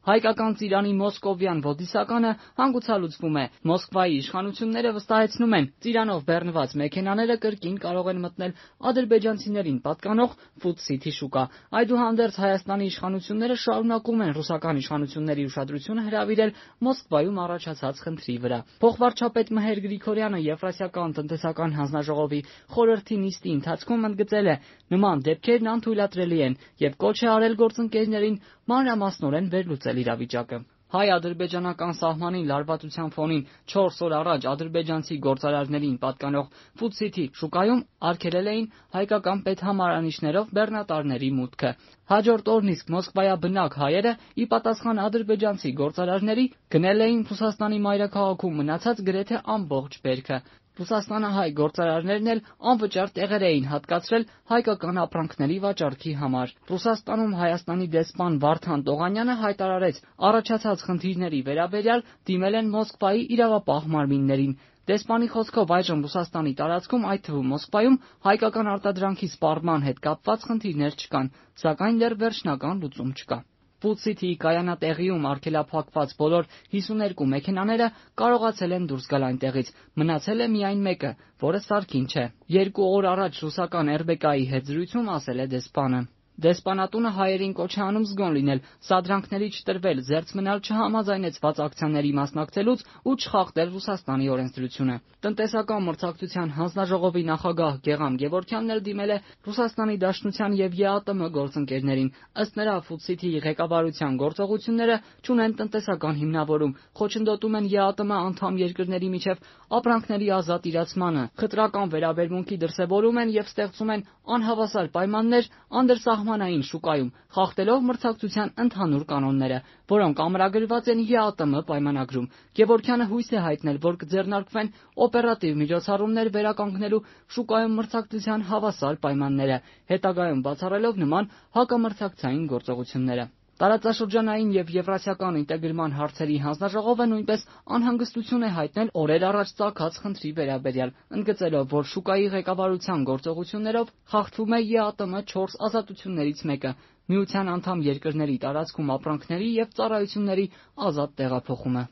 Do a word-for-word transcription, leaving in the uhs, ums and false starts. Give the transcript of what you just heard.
Հայկական ծիրանի մոսկովյան ոդիսականը հանգուցալուծվում է։ Մոսկվայի իշխանությունները վստահեցնում են, ծիրանով բեռնված մեքենաները կրկին կարող են մտնել ադրբեջանցիներին պատկանող Food City շուկա։ Այդուհանդերձ Հայաստանի իշխանությունները շարունակում են ռուսական իշխանությունների ուշադրությունը հրավիրել Մոսկվայում առաջացած խնդրի վրա։ Փոխվարչապետ Մհեր Գրիգորյանը Եվրասիական տնտեսական հանձնաժողովի խորհրդի նիստի ընթացքում ընդգծել է, նման դեպքերն անթույլատրելի են եւ կոչ է արել գործընկերներին մանրամասնորեն վերլուծել իրավիճակը։ Հայ-ադրբեջանական սահմանին լարվածության ֆոնին չորս օր առաջ ադրբեջանցի գործարարներին պատկանող Food City շուկայում արգելել էին հայկական պետհամարանիշներով բեռնատարների մուտքը։ Հաջորդ օրն իսկ Մոսկվայաբնակ հայերը ի պատասխան ադրբեջանցի գործարարների գնել էին Ռուսաստանի մայրաքաղաքում մնացած գրեթե ամբողջ բերքը։ Ռուսաստանահայ գործարարներն էլ անվճար տեղեր էին հատկացրել հայկական ապրանքների վաճառքի համար։ Ռուսաստանում Հայաստանի դեսպան Վարդան Տողանյանը հայտարարեց, առաջացած խնդիրների վերաբերյալ դիմել են Մոսկվայի իրավապահ մարմիններին։ Դեսպանի խոսքով այժմ Ռուսաստանի տարածքում, այդ թվում Մոսկվայում, հայկական արտադրանքի սպառման հետ կապված խնդիրներ չկան, սակայն դեռ վերջնական լուծում չկա։ Food City-ի կայանատեղիում արգելափակված բոլոր հիսուներկու մեքենաները կարողացել են դուրս գալ այնտեղից, մնացել է միայն մեկը, որը սարքին չէ։ Երկու օր առաջ ռուսական Er B K-ի հետ զրույցում ասել է դեսպանը։ Դեսպանատունը հայերին կոչ է անում զգոն լինել, սադրանքների չտրվել, զերծ մնալ չհամաձայնեցված ակցիաների մասնակցելուց ու չխախտել Ռուսաստանի օրենսդրությունը։ Տնտեսական մրցակցության հանձնաժողովի նախագահ Գեղամ Գևորգյանն էլ դիմել է Ռուսաստանի Դաշնության եւ Ե A T M գործընկերներին։ Ըստ նրա, Food City-ի ղեկավարության գործողությունները չունեն տնտեսական հիմնավորում, խոչընդոտում են Ե A T M անդամ երկրների միջև ապրանքների ազատ իրացմանը, խտրական վերաբերմունքի դրսևորում են եւ ստեղծում են անհավասար պայմաններ անդրսահմանային շուկայում, խախտելով մրցակցության ընդհանուր կանոնները, որոնք ամրագրված են Ե A T M պայմանագրում։ Գևորգյանը հույս է հայտնել, որ կձեռնարկվեն օպերատիվ միջոցառումներ վերականգնելու շուկայում մրցակցության հավասար պայմանները, հետագայում բացառելով նման հակամրցակցային գործողությունները։ Տարածաշրջանային եւ եվրասիական ինտեգրման հարցերի հանձնաժողովը նույնպես անհանգստություն է հայտնել օրեր առաջ ծագած խնդրի վերաբերյալ, ընդգծելով, որ շուկայի ղեկավարության գործողություններով խախտվում է Ե A T M չորս ազատություններից մեկը՝ միության անդամ երկրների տարածքում ապրանքների եւ ծառայությունների ազատ տեղափոխումը։